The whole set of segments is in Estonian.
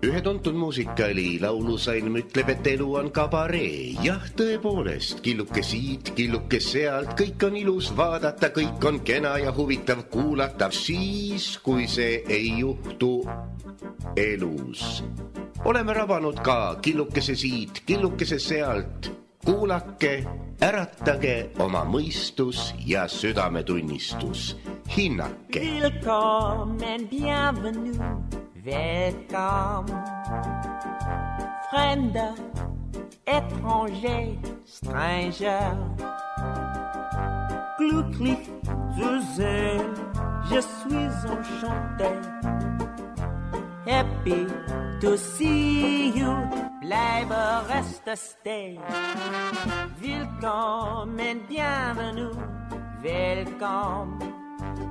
Ühe tuntud muusikaali laulusalm ütleb, et elu on kabaree. Jah, tõepoolest, killuke siit, killuke sealt, kõik on ilus vaadata, kõik on kena ja huvitav kuulata. Siis, kui see ei juhtu elus. Oleme rabanud ka killukese siit, killukese sealt. Kuulake, äratage oma mõistus ja südametunnistus. Hinnake. Willkommen, bienvenue. Welcome, Fremder, étranger, stranger. Glücklich zu sehen, je suis enchanté. Happy to see you, bleibe, reste, stay. Willkommen, bienvenue, welcome.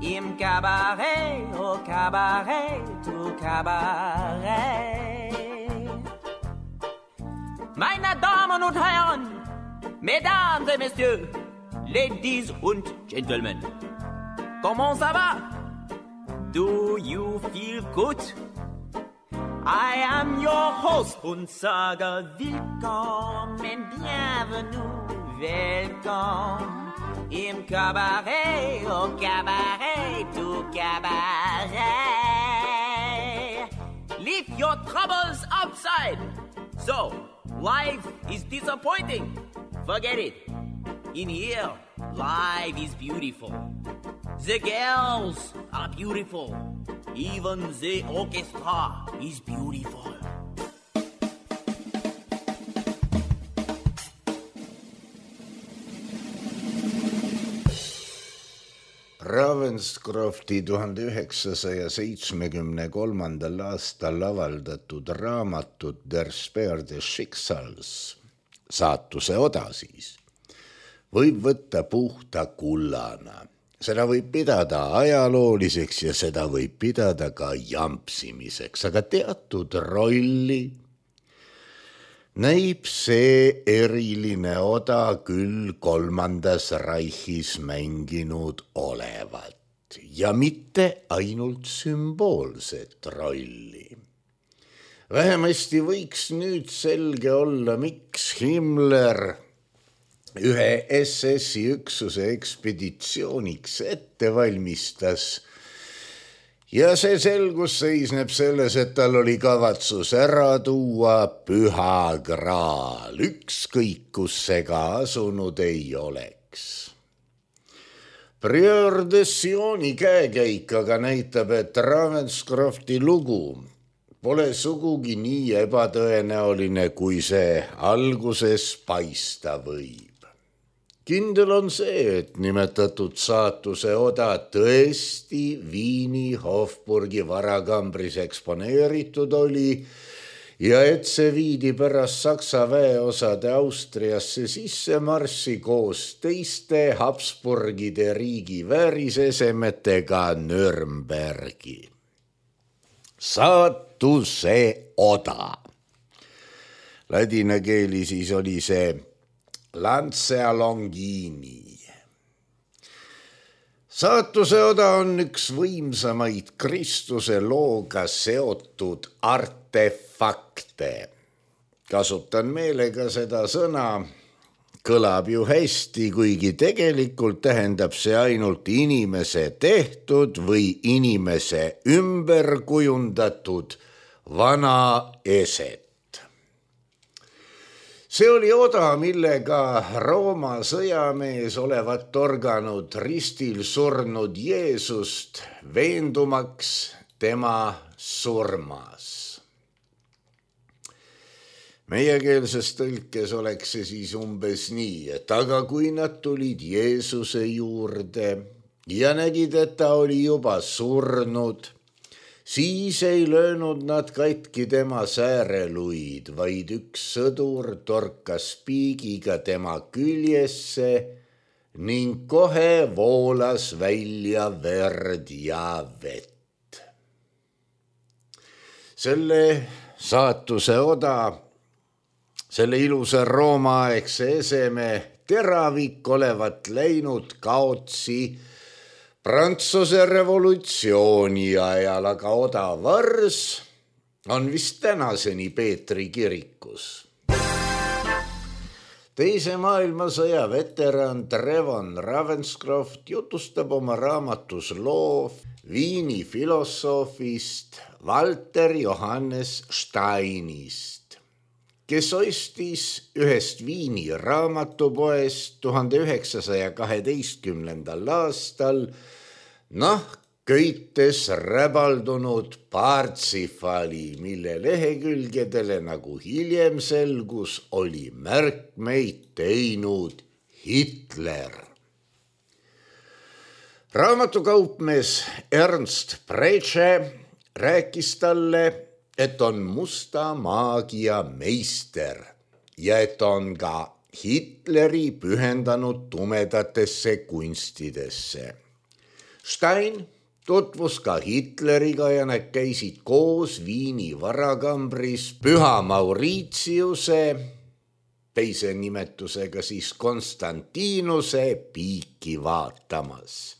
Im Cabaret, au Cabaret, tout Cabaret. Meine Damen und Herren, Mesdames et Messieurs, Ladies und Gentlemen, comment ça va? Do you feel good? I am your host und sage willkommen, bienvenue, welcome. Im Cabaret, au Cabaret, tout Cabaret. Leave your troubles outside. So, life is disappointing. Forget it. In here, life is beautiful. The girls are beautiful. Even the orchestra is beautiful. Ravenscrofti 1973. aastal avaldatud raamatut Der Speer des Schicksals, saatuse oda siis, võib võtta puhta kullana. Seda võib pidada ajalooliseks ja seda võib pidada ka jampsimiseks, aga teatud rolli näib see eriline oda küll Kolmandas Reichis mänginud olevat ja mitte ainult sümboolset rolli. Vähemasti võiks nüüd selge olla, miks Himmler ühe SS-i üksuse ekspeditsiooniks ette valmistas. Ja see selgus seisneb selles, et tal oli kavatsus ära tuua Püha Graal, ükskõik kus see ka asunud ei oleks. Prieur de Sioni käekäik aga näitab, et Ravenscrofti lugu pole sugugi nii ebatõenäoline, kui see alguses paista võib. Kindel on see, et nimetatud saatuse oda tõesti Viini Hofburgi varakambris eksponeeritud oli ja et see viidi pärast Saksa väeosade Austriasse sisse marssi koos teiste Habsburgide riigi väärisesemetega Nürnbergi. Saatuse oda. Ladina keeli siis oli see Lancia Longini. Saatuse oda on üks võimsamaid Kristuse looga seotud artefakte. Kasutan meelega seda sõna, kõlab ju hästi, kuigi tegelikult tähendab see ainult inimese tehtud või inimese ümber kujundatud vana eset. See oli oda, millega Rooma sõjamees olevat torganud ristil surnud Jeesust, veendumaks tema surmas. Meiekeelses tõlkes oleks see siis umbes nii, et aga kui nad tulid Jeesuse juurde ja nägid, et ta oli juba surnud, siis ei löönud nad katki tema sääreluid, vaid üks sõdur torkas piigiga tema küljesse ning kohe voolas välja verd ja vett. Selle saatuse oda, selle ilusa roomaaegse eseme teravik olevat läinud kaotsi Prantsuse revolutsiooni ajal aga odav vars on vist tänaseni Peetri kirikus. Teise maailmasõja veteran Trevon Ravenscroft jutustab oma raamatus loo Viini filosoofist Walter Johannes Steinist, kes ostis ühest Viini raamatupoest 1912. aastal köites räbaldunud Parsifali, mille lehekülgedele, nagu hiljem selgus, oli märkmeid teinud Hitler. Raamatukaupmees Ernst Preche rääkis talle, et on musta maagia meister ja et on ka Hitleri pühendanud tumedatesse kunstidesse. Stein tutvus ka Hitleriga ja nad käisid koos Viini varakambris Püha Mauritiuse, teise nimetusega siis Konstantinuse piiki vaatamas.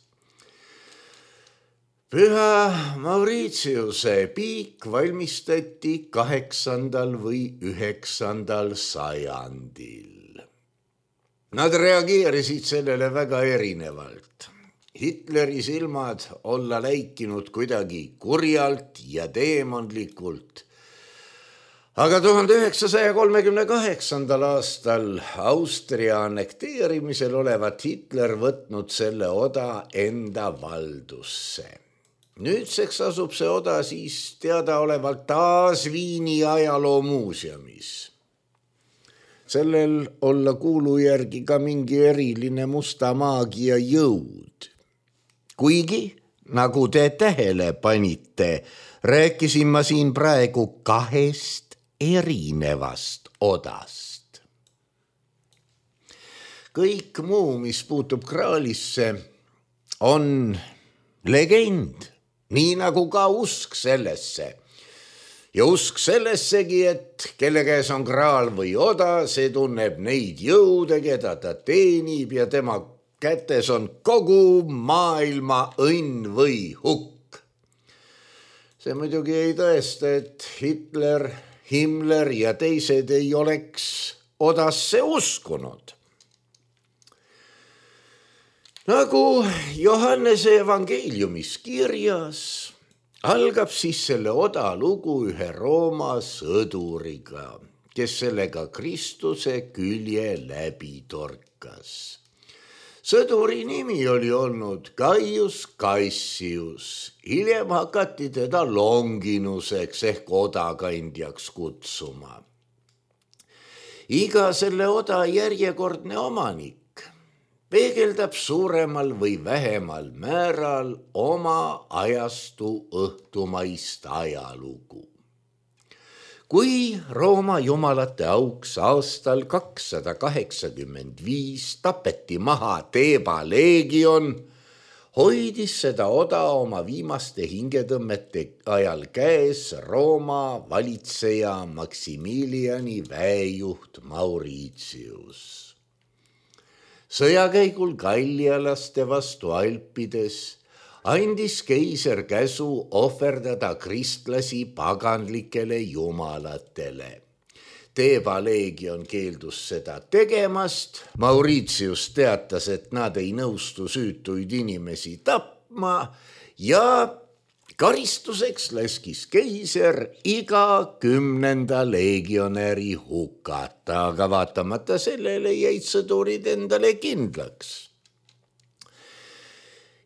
Püha Mauritiuse piik valmistati 8. või 9. sajandil. Nad reageerisid sellele väga erinevalt. Hitleri silmad olla läikinud kuidagi kurjalt ja teemonlikult. Aga 1938. aastal Austria annekteerimisel olevat Hitler võtnud selle oda enda valdusse. Nüüdseks asub see oda siis teadaolevalt taas Viini ajaloomuuseumis. Sellel olla kuulu järgi ka mingi eriline musta maagia jõud. Kuigi, nagu te tähele panite, rääkisin ma siin praegu 2 erinevast odast. Kõik muu, mis puutub kraalisse, on legend, nii nagu ka usk sellesse. Ja usk sellessegi, et kelle käes on kraal või oda, see tunneb neid jõude, keda ta teenib ja tema kätes on kogu maailma õnn või hukk. See muidugi ei tõesta, et Hitler, Himmler ja teised ei oleks odasse uskunud. Nagu Johannese evangeeliumis kirjas, algab siis selle oda lugu ühe Rooma sõduriga, kes sellega Kristuse külje läbi torkas. Sõduri nimi oli olnud Gaius Cassius, hiljem hakati teda Longinuseks ehk odakandjaks kutsuma. Iga selle oda järjekordne omanik peegeldab suuremal või vähemal määral oma ajastu õhtumaist ajalugu. Kui Rooma jumalate auks aastal 285 tapeti maha Theba leegion, hoidis seda oda oma viimaste hingetõmmete ajal käes Rooma valitseja Maximiliani väejuht Mauritius. Sõjakäigul gallialaste vastu Alpides andis keiser käsu ohverdada kristlasi paganlikele jumalatele. Theba leegion keeldus seda tegemast. Mauritius teatas, et nad ei nõustu süütuid inimesi tapma ja karistuseks laskis keiser iga 10. legionäri hukata, aga vaatamata sellele jäid sõdurid endale kindlaks.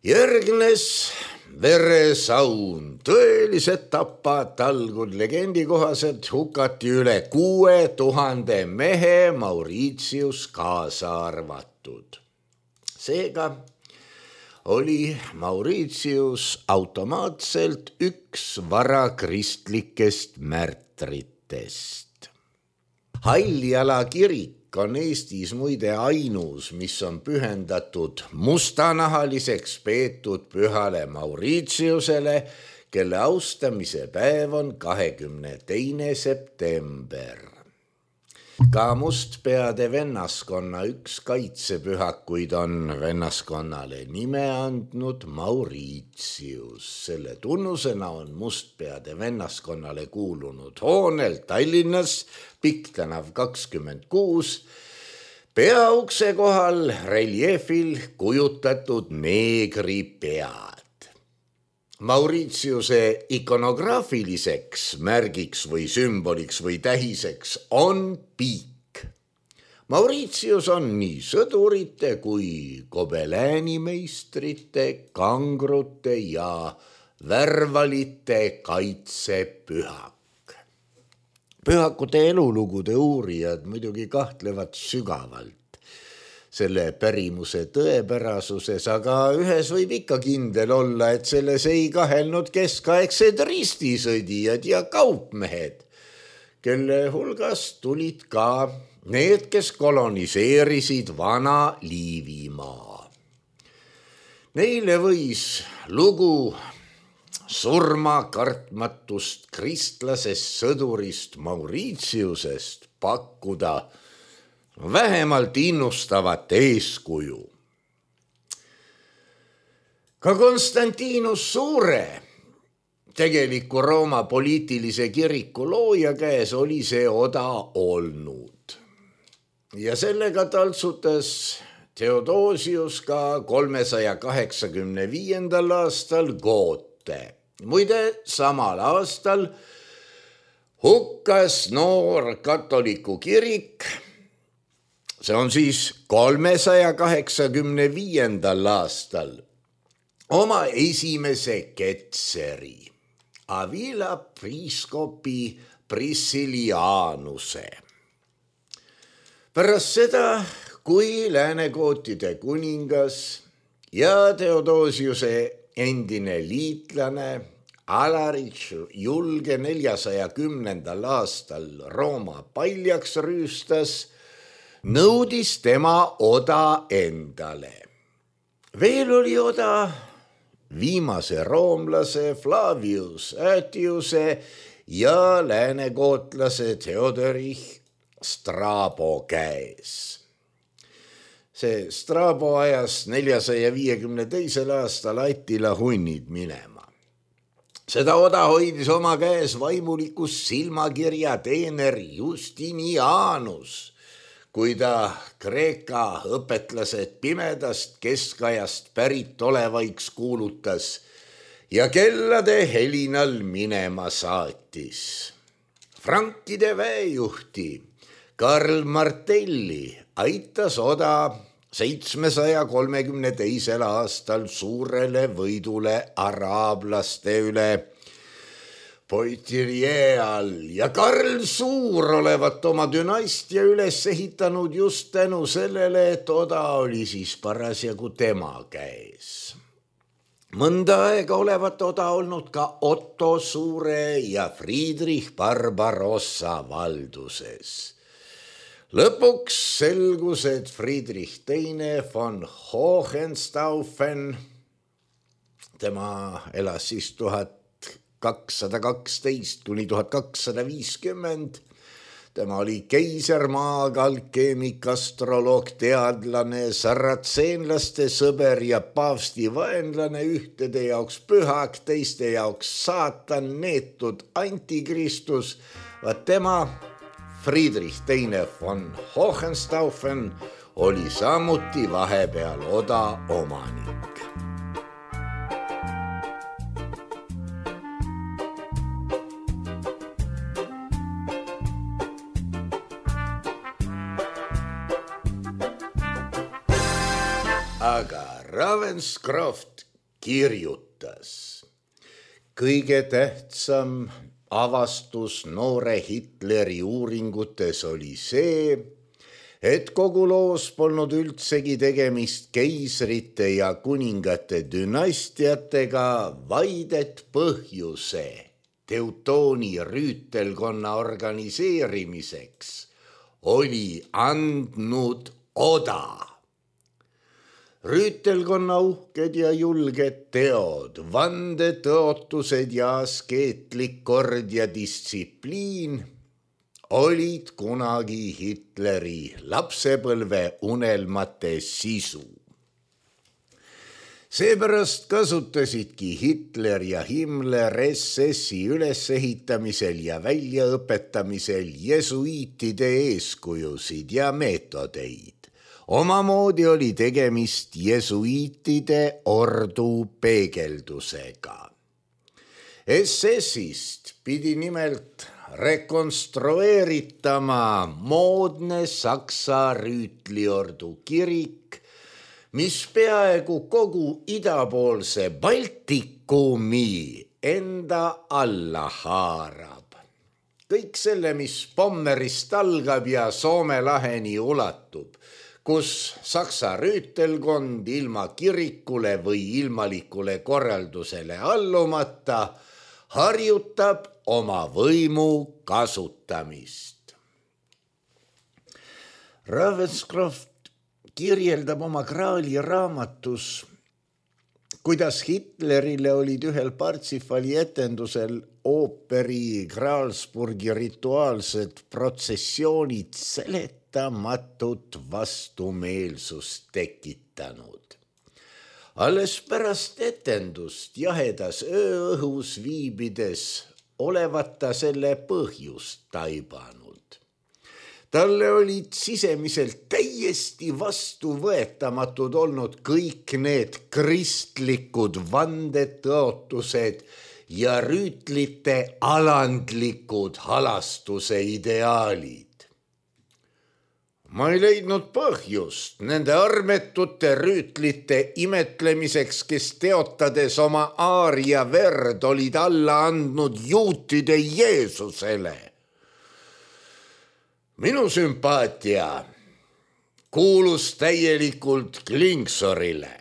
Järgnes veresaun, tõelised tapad talgud, legendi kohaselt hukati üle 6000 mehe, Mauritius kaasa arvatud. Seega oli Mauritius automaatselt üks varakristlikest märtritest. Halljala kirik on Eestis muide ainus, mis on pühendatud mustanahaliseks peetud pühale Mauritiusele, kelle austamise päev on 22. september. Ka mustpeade vennaskonna üks kaitsepühakuid on vennaskonnale nime andnud Mauritius. Selle tunnusena on mustpeade vennaskonnale kuulunud hoonel Tallinnas, Pikktänav 26, peaukse kohal reljeefil kujutatud neegri pead. Mauritiuse ikonograafiliseks märgiks või sümboliks või tähiseks on piik. Mauritius on nii sõdurite kui gobeleänimeistrite, kangrute ja värvalite kaitsepühak. Pühakute elulugude uurijad muidugi kahtlevad sügavalt selle pärimuse tõepärasuses, aga ühes võib ikka kindel olla, et selles ei kahelnud keskaegsed ristisõdijad ja kaupmehed, kelle hulgast tulid ka need, kes koloniseerisid vana Liivimaa. Neile võis lugu surmakartmatust kristlasest sõdurist Mauritiusest pakkuda vähemalt innustavat eeskuju. Ka Konstantinus Suure, tegeliku Rooma poliitilise kiriku looja käes oli see oda olnud. Ja sellega taltsutas Theodosius ka 385. aastal Goote. Muide, samal aastal hukkas noor katoliku kirik. See on siis 385. aastal oma esimese ketseri, Avila priiskopi Priscillianuse. Pärast seda, kui läänegootide kuningas ja Theodosiuse endine liitlane Alaric julge 410. aastal Rooma paljaks rüüstas, nõudis tema oda endale. Veel oli oda viimase roomlase Flavius Aetiuse ja läänekootlase Theodorich Strabo käes. See Strabo ajas 452. aastal Attila hunnid minema. Seda oda hoidis oma käes vaimulikus silmakirja teener Justinianus, kui ta Kreeka õpetlased pimedast keskajast pärit olevaiks kuulutas ja kellade helinal minema saatis. Frankide väejuhti Karl Martelli aitas oda 732. aastal suurele võidule araablaste üle Poitiers all ja Karl Suur olevat oma dünastia üles ehitanud just tänu sellele, et oda oli siis parasjagu tema käes. Mõnda aega olevat oda olnud ka Otto Suure ja Friedrich Barbarossa valduses. Lõpuks selgus, et Friedrich II von Hohenstaufen, tema elas siis 1212 kuni 1250. Tema oli keisermaaga, alkeemik, astroloog, teadlane, saratseenlaste sõber ja paavsti vaenlane, ühtede jaoks pühak, teiste jaoks saatan, neetud antikristus. Vaat tema, Friedrich II von Hohenstaufen, oli samuti vahepeal oda omanik. Aga Ravenscroft kirjutas: kõige tähtsam avastus noore Hitleri uuringutes oli see, et kogu loos polnud üldsegi tegemist keisrite ja kuningate dünastiatega, vaid et põhjuse Teutooni rüütelkonna organiseerimiseks oli andnud oda. Rüütelkonna uhked ja julged teod, vandetõotused ja askeetlik kord ja distsipliin olid kunagi Hitleri lapsepõlve unelmate sisu. Seepärast kasutasidki Hitler ja Himmler SS-i ülesehitamisel ja väljaõpetamisel jesuiitide eeskujusid ja meetodeid. Omamoodi oli tegemist jesuiitide ordu peegeldusega. SS-ist pidi nimelt rekonstrueeritama moodne Saksa rüütliordu kirik, mis peaaegu kogu idapoolse Baltikumi enda alla haarab. Kõik selle, mis Pommerist algab ja Soome laheni ulatub, kus Saksa rüütelkond ilma kirikule või ilmalikule korraldusele allumata harjutab oma võimu kasutamist. Ravenscroft kirjeldab oma Graali raamatus, kuidas Hitlerile olid ühel Parsifali etendusel ooperi Graalsburgi rituaalsed protsessioonid seletamatut vastumeelsust tekitanud. Alles pärast etendust jahedas ööõhus viibides olevat ta selle põhjust taibanud. Talle olid sisemiselt täiesti vastuvõetamatud olnud kõik need kristlikud vandetõotused ja rüütlite alandlikud halastuse ideaalid. Ma ei leidnud põhjust nende armetute rüütlite imetlemiseks, kes teotades oma aaria verd olid alla andnud juutide Jeesusele. Minu sümpaatia kuulus täielikult Klingsorile.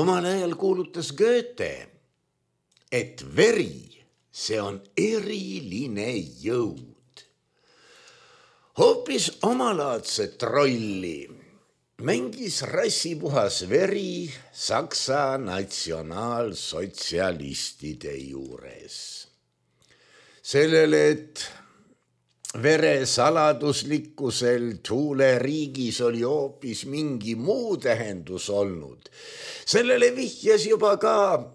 Omal ajal kuulutas Goethe, et veri, see on eriline jõud. Hoopis omalaadset rolli mängis rassipuhas veri Saksa natsionaalsotsialistide juures. Sellele, et vere saladuslikkusel Thule riigis oli hoopis mingi muu tähendus olnud. Sellele vihjas juba ka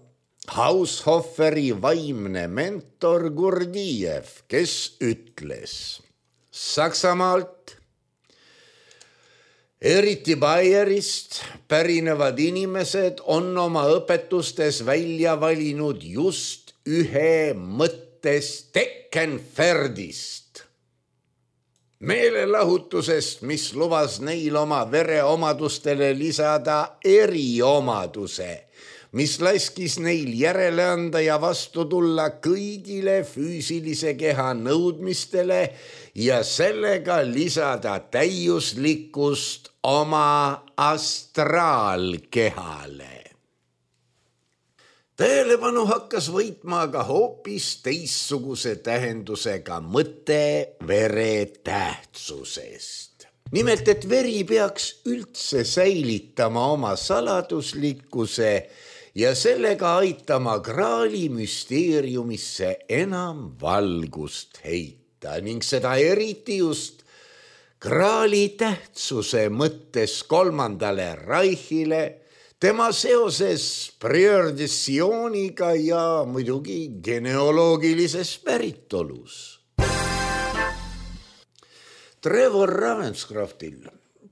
Haushoferi vaimne mentor Gurdjiev, kes ütles: Saksamaalt, eriti Bayerist pärinevad inimesed on oma õpetustes välja valinud just ühe mõtte Steckenpferdist. Meelelahutusest, mis lubas neil oma vereomadustele lisada eriomaduse, mis laskis neil järele anda ja vastu tulla kõigile füüsilise keha nõudmistele ja sellega lisada täiuslikkust oma astraalkehale. Tähelepanu hakkas võitma aga hoopis teistsuguse tähendusega mõte vere tähtsusest. Nimelt, et veri peaks üldse säilitama oma saladuslikkuse ja sellega aitama Graali müsteeriumisse enam valgust heita ning seda eriti just Graali tähtsuse mõttes kolmandale Reichile, tema seoses priordissiooniga ja muidugi genealoogilises päritolus. Trevor Ravenscroftil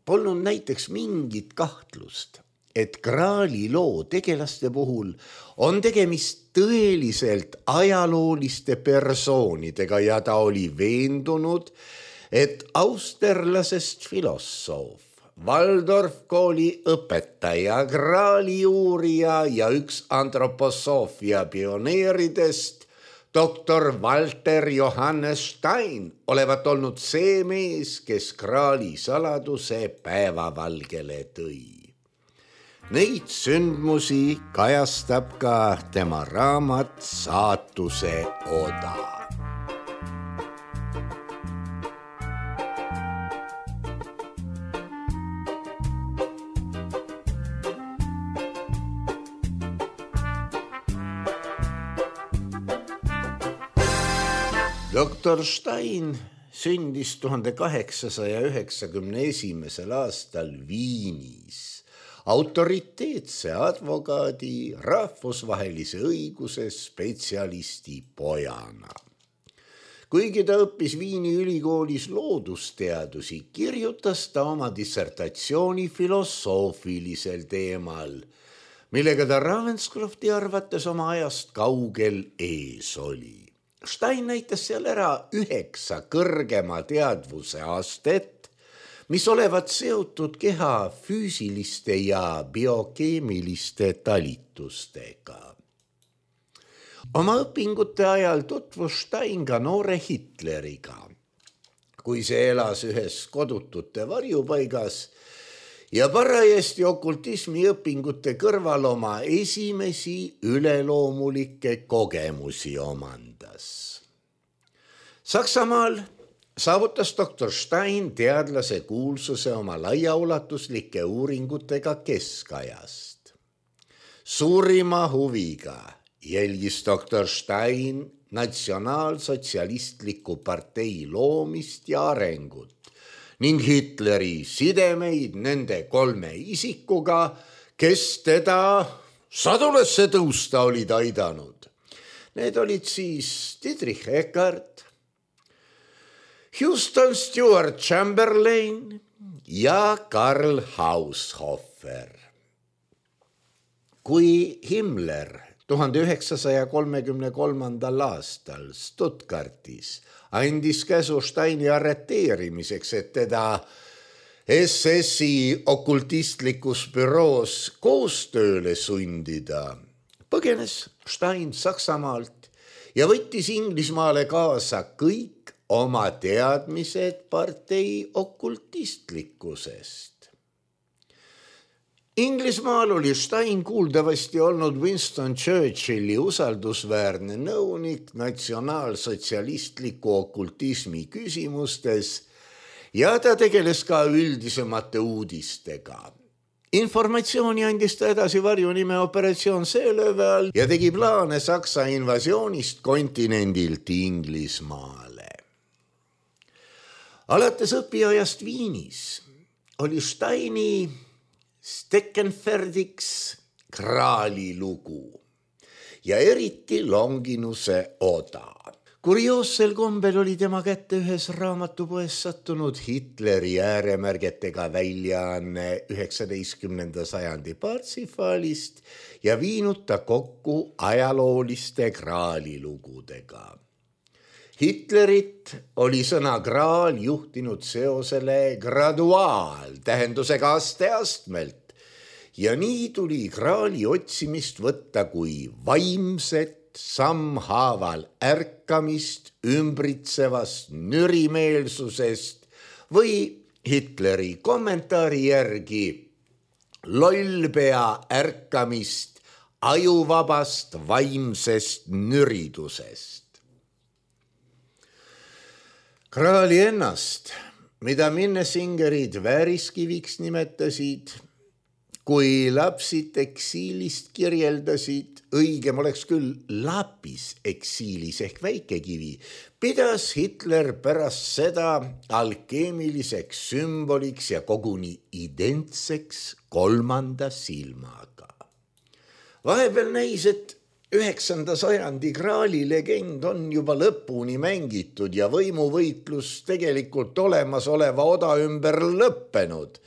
polnud näiteks mingit kahtlust, et Graali loo tegelaste puhul on tegemist tõeliselt ajalooliste persoonidega ja ta oli veendunud, et austerlasest filosoof, Waldorf kooli õpetaja, Graali uurija ja üks antroposoofia pioneeridest, doktor Walter Johannes Stein, olevat olnud see mees, kes Graali saladuse päevavalgele tõi. Neid sündmusi kajastab ka tema raamat Saatuse oda. Doktor Stein sündis 1891. aastal Viinis autoriteetse advokaadi, rahvusvahelise õiguse spetsialisti pojana. Kuigi ta õppis Viini ülikoolis loodusteadusi, kirjutas ta oma dissertatsiooni filosoofilisel teemal, millega ta Ravenscrofti arvates oma ajast kaugel ees oli. Stein näitas seal ära 9 kõrgema teadvuse astet, mis olevat seotud keha füüsiliste ja biokeemiliste talitustega. Oma õpingute ajal tutvus Stein ka noore Hitleriga, kui see elas ühes kodutute varjupaigas ja parajasti okultismi õpingute kõrval oma esimesi üleloomulikke kogemusi omandas. Saksamaal saavutas doktor Stein teadlase kuulsuse oma laiaulatuslike uuringutega keskajast. Suurima huviga jälgis doktor Stein natsionaalsotsialistliku partei loomist ja arengut ning Hitleri sidemeid nende 3 isikuga, kes teda sadulesse tõusta olid aidanud. Need olid siis Dietrich Eckart, Houston Stewart Chamberlain ja Karl Haushofer. Kui Himmler 1933. aastal Stuttgartis andis käsu Steini arreteerimiseks, et teda SS-i okultistlikus büroos koostööle sundida, põgenes Stein Saksamaalt ja võttis Inglismaale kaasa kõik oma teadmised partei okultistlikkusest. Inglismaal oli Stein kuuldavasti olnud Winston Churchilli usaldusväärne nõunik natsionaalsotsialistliku okultismi küsimustes ja ta tegeles ka üldisemate uudistega. Informatsiooni andis ta edasi varjunime operatsioon Seelööve all ja tegi plaane Saksa invasioonist kontinendilt Inglismaale. Alates õpiajast Viinis oli Steini Steckenferdiks Graali lugu ja eriti Longinuse oda. Kurioossel kombel oli tema kätte ühes raamatupoes sattunud Hitleri ääremärgetega väljaanne 19. sajandi Parsifalist ja viinud ta kokku ajalooliste Graali lugudega. Hitlerit oli sõna graal juhtinud seosele graduaal tähendusega aste-astmelt ja nii tuli graali otsimist võtta kui vaimset sammhaaval ärkamist ümbritsevast nürimeelsusest või Hitleri kommentaari järgi lollpea ärkamist ajuvabast vaimsest nüridusest. Graali ennast, mida Minnesingerid vääriskiviks nimetasid, kui lapsid eksiilist kirjeldasid, õigem oleks küll lapis eksiilis ehk väikekivi, pidas Hitler pärast seda alkeemiliseks sümboliks ja koguni identseks 3. silmaga. Vahepeal näis, et 9. sajandi Graali legend on juba lõpuni mängitud ja võimuvõitlus tegelikult olemasoleva oda ümber lõppenud,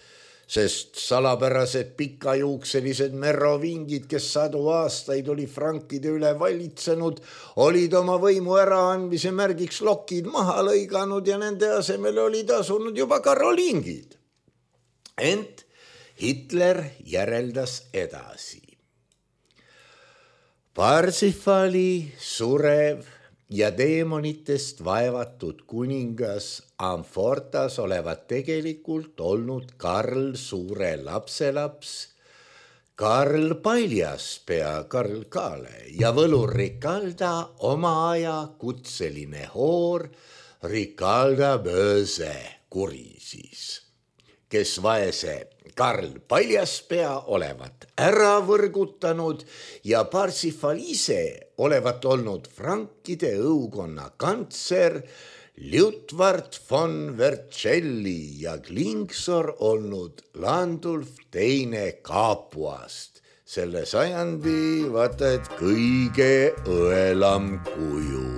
sest salapärased pikajuukselised merovingid, kes 100 aastaid oli frankide üle valitsenud, olid oma võimu äraandmise märgiks lokid maha lõiganud ja nende asemel olid asunud juba karoliingid. Ent Hitler järeldas edasi. Parsifali surev ja teemonitest vaevatud kuningas Amfortas olevat tegelikult olnud Karl Suure lapselaps, Karl Paljaspea Karl Kaale ja võlur Rikalda oma aja kutseline hoor Rikalda Böse kuri siis, kes vaese Karl Paljaspea olevat ära võrgutanud ja Parsifal ise olevat olnud frankide õukonna kantser, Liutwart von Vercelli ja Klingsor olnud Landulf teine Kaapuast. Selle sajandi vaata et kõige õelam kuju.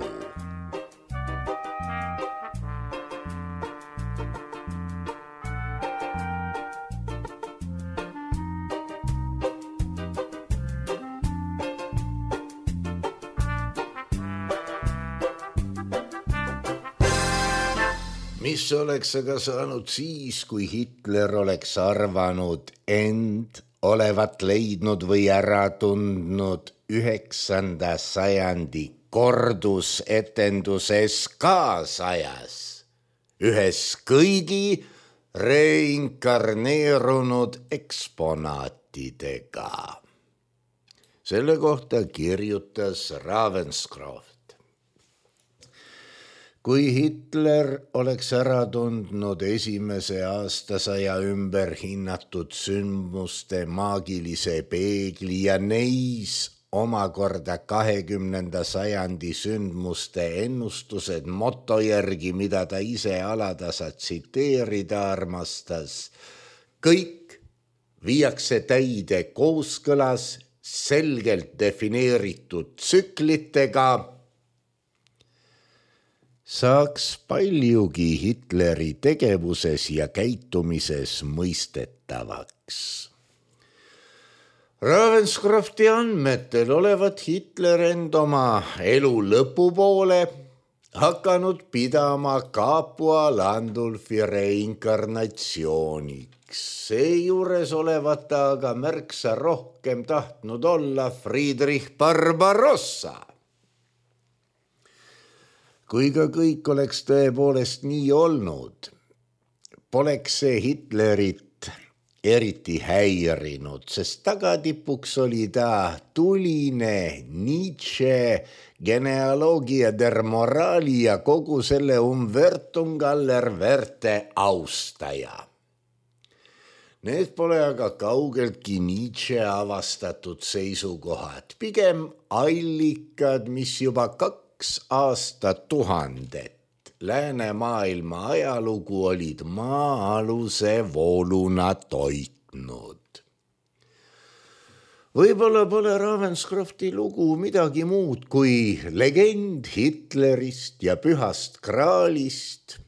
Mis oleks aga saanud siis, kui Hitler oleks arvanud end olevat leidnud või ära tundnud 9. sajandi kordusetenduses kaasajas, ühes kõigi reinkarneerunud eksponaatidega. Selle kohta kirjutas Ravenscroft. Kui Hitler oleks ära tundnud esimese aastasaja ümber hinnatud sündmuste maagilise peegli ja neis omakorda 20. sajandi sündmuste ennustused moto järgi, mida ta ise alatasa tsiteerida armastas, kõik viiakse täide kooskõlas selgelt defineeritud tsüklitega, saaks paljugi Hitleri tegevuses ja käitumises mõistetavaks. Ravenscrofti andmetel olevat Hitler end oma elu lõpupoole hakanud pidama Capua Landulfi reinkarnatsiooniks. Seejuures olevat ta aga märksa rohkem tahtnud olla Friedrich Barbarossa. Kui ka kõik oleks tõepoolest nii olnud, poleks see Hitlerit eriti häirinud, sest tagatipuks oli ta tuline Nietzsche genealoogia der morali ja kogu selle Umbertum aller Werte austaja. Need pole aga kaugeltki Nietzsche avastatud seisukohad, pigem allikad, mis juba 2 aastatuhandet läänemaailma ajalugu olid maa-aluse vooluna toitnud. Võib-olla pole Ravenscrofti lugu midagi muud kui legend Hitlerist ja pühast graalist,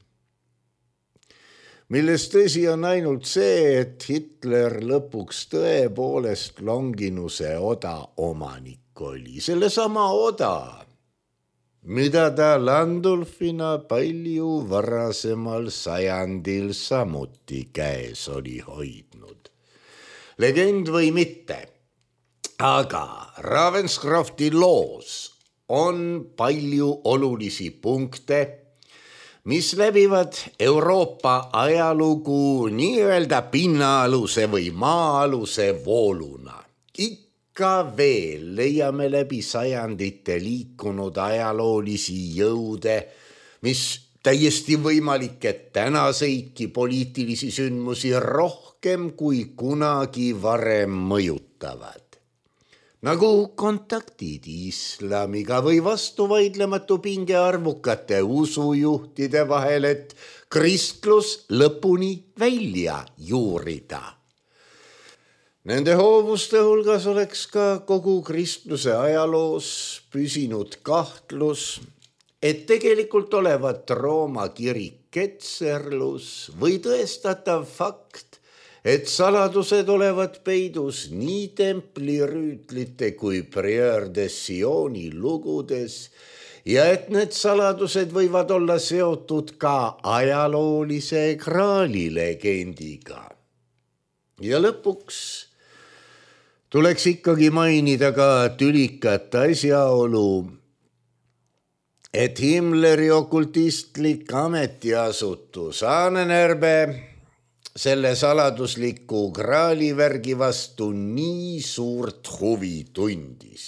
milles tõsi on ainult see, et Hitler lõpuks tõepoolest Longinuse oda omanik oli. Sellesama oda, mida ta Landulfina palju varasemal sajandil samuti käes oli hoidnud. Legend või mitte, aga Ravenscrofti loos on palju olulisi punkte, mis läbivad Euroopa ajalugu nii-öelda pinnaaluse või maa-aluse vooluna. Ka veel leiame läbi sajandite liikunud ajaloolisi jõude, mis täiesti võimalik, et tänaseidki poliitilisi sündmusi rohkem kui kunagi varem mõjutavad. Nagu kontaktid islamiga või vastuvaidlematu pinge arvukate usujuhtide vahel, et kristlus lõpuni välja juurida. Nende hoovuste hulgas oleks ka kogu kristluse ajaloos püsinud kahtlus, et tegelikult olevat Rooma kirik ketserlus või tõestatav fakt, et saladused olevat peidus nii templirüütlite kui Prieur de Sioni lugudes ja et need saladused võivad olla seotud ka ajaloolise graali legendiga. Ja lõpuks tuleks ikkagi mainida ka tülikat asjaolu, et Himmleri okultistlik ametiasutus Ahnenerbe selle saladusliku graalivärgi vastu nii suurt huvi tundis.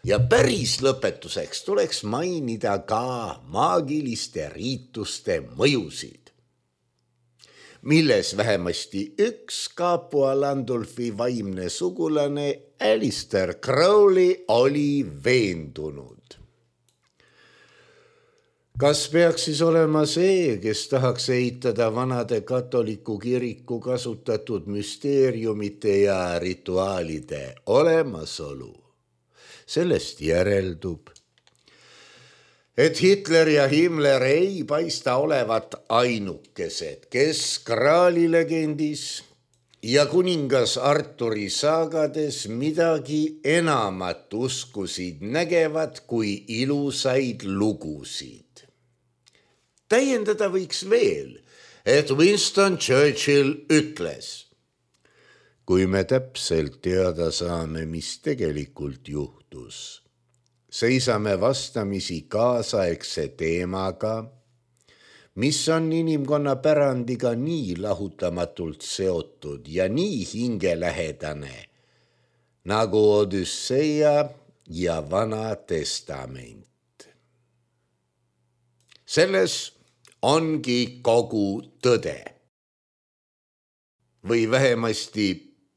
Ja päris lõpetuseks tuleks mainida ka maagiliste riituste mõjusid. milles vähemasti üks Capua Landulfi vaimne sugulane Alistair Crowley oli veendunud. Kas peaks siis olema see, kes tahaks eitada vanade katoliku kiriku kasutatud müsteeriumite ja rituaalide olemasolu? Sellest järeldub, et Hitler ja Himmler ei paista olevat ainukesed, kes Graali legendis ja kuningas Arturi saagades midagi enamat uskusid nägevad kui ilusaid lugusid. Täiendada võiks veel, et Winston Churchill ütles, kui me täpselt teada saame, mis tegelikult juhtus, seisame vastamisi kaasaegse teemaga, mis on inimkonna pärandiga nii lahutamatult seotud ja nii hingelähedane, nagu Odüsseia ja Vana Testament. Selles ongi kogu tõde. Või vähemasti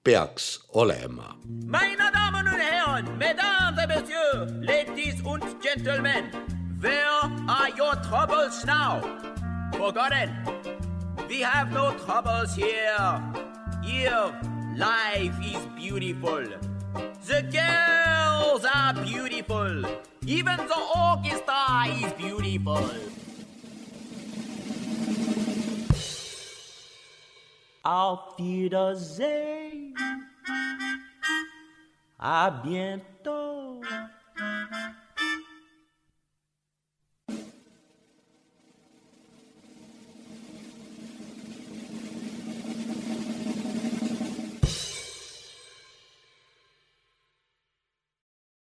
peaks olema. Meine Damen und Herren, Mesdames et Messieurs, ladies und Gentlemen, where are your troubles now? Forgotten, we have no troubles here. Here, life is beautiful. The girls are beautiful. Even the orchestra is beautiful. Auf Wiedersehen. À bientôt.